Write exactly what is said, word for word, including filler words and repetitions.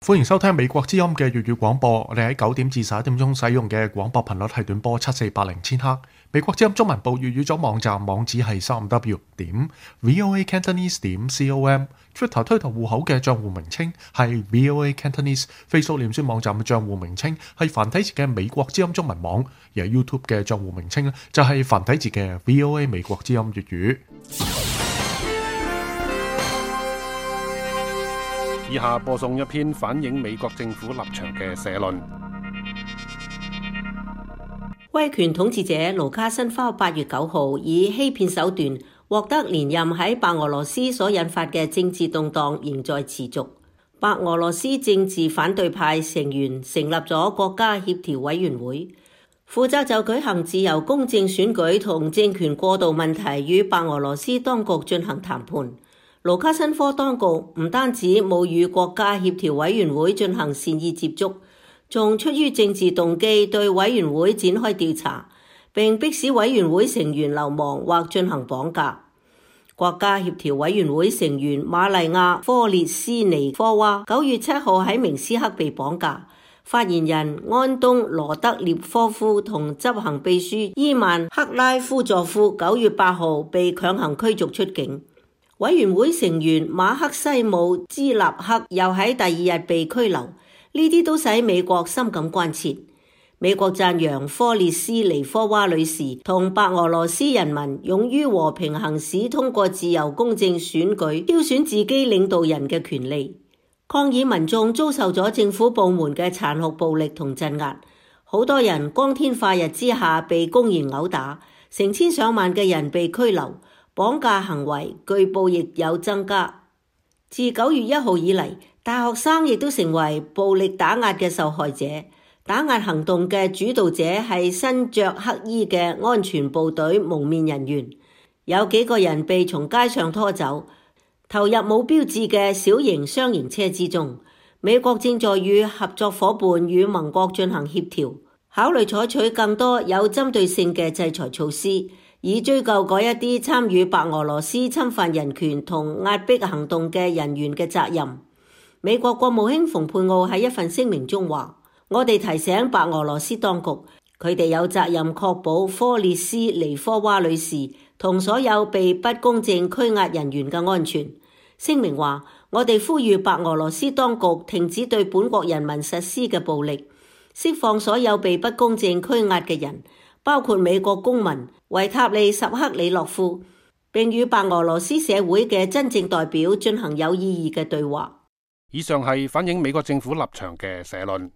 歡迎收聽美國之音嘅粵語廣播。我哋喺九點至十一點鐘使用嘅廣播頻率係短波七四八零千赫。美國之音中文部粵語組網站網址係三 w 點 voa cantonese 點 com。Twitter 推特戶口嘅賬戶名稱係 voa cantonese。Facebook 臉書網站嘅賬戶名稱係繁體字嘅美國之音中文網，而 YouTube 嘅賬戶名稱咧就係繁體字嘅 voa 美國之音粵語。以下播送一篇反映美國政府立場嘅社論。威權統治者盧卡申科八月九號以欺騙手段獲得連任，喺白俄羅斯所引發嘅政治動盪仍在持續。白俄羅斯政治反對派成員成立咗國家協調委員會，負責就舉行自由公正選舉同政權過渡問題與白俄羅斯當局進行談判。盧卡申科當局唔單止冇與國家協調委員會進行善意接觸，仲出於政治動機對委員會展開調查，並迫使委員會成員流亡或進行綁架。國家協調委員會成員瑪麗亞·科列斯尼科娃九月七號喺明斯克被綁架，發言人安東·羅德列科夫同執行秘書伊曼·克拉夫佐夫九月八號被強行驅逐出境。委員會成員馬克西姆·茲納克又喺第二日被拘留，呢啲都使美國深感關切。美國讚揚科列斯尼科娃女士同白俄羅斯人民勇於和平行使通過自由公正選舉挑選自己領導人嘅權利。抗議民眾遭受咗政府部門嘅殘酷暴力同鎮壓，好多人光天化日之下被公然毆打，成千上萬嘅人被拘留。綁架行為據報亦有增加。自九月一號以嚟，大學生亦都成為暴力打壓嘅受害者。打壓行動嘅主導者係身着黑衣嘅安全部隊蒙面人員，有幾個人被從街上拖走，投入冇標誌嘅小型雙型車之中。美國正在與合作夥伴與盟國進行協調，考慮採取更多有針對性嘅制裁措施，以追究嗰一啲參與白俄羅斯侵犯人權同壓迫行動嘅人員嘅責任。美國國務卿蓬佩奧喺一份聲明中話：我哋提醒白俄羅斯當局，佢哋有責任確保科列斯尼科娃女士同所有被不公正拘押人員嘅安全。聲明話：我哋呼籲白俄羅斯當局停止對本國人民實施嘅暴力，釋放所有被不公正拘押嘅人，包括美國公民維塔利什克里諾夫，並與白俄羅斯社會嘅真正代表進行有意義嘅對話。以上係反映美國政府立場嘅社論。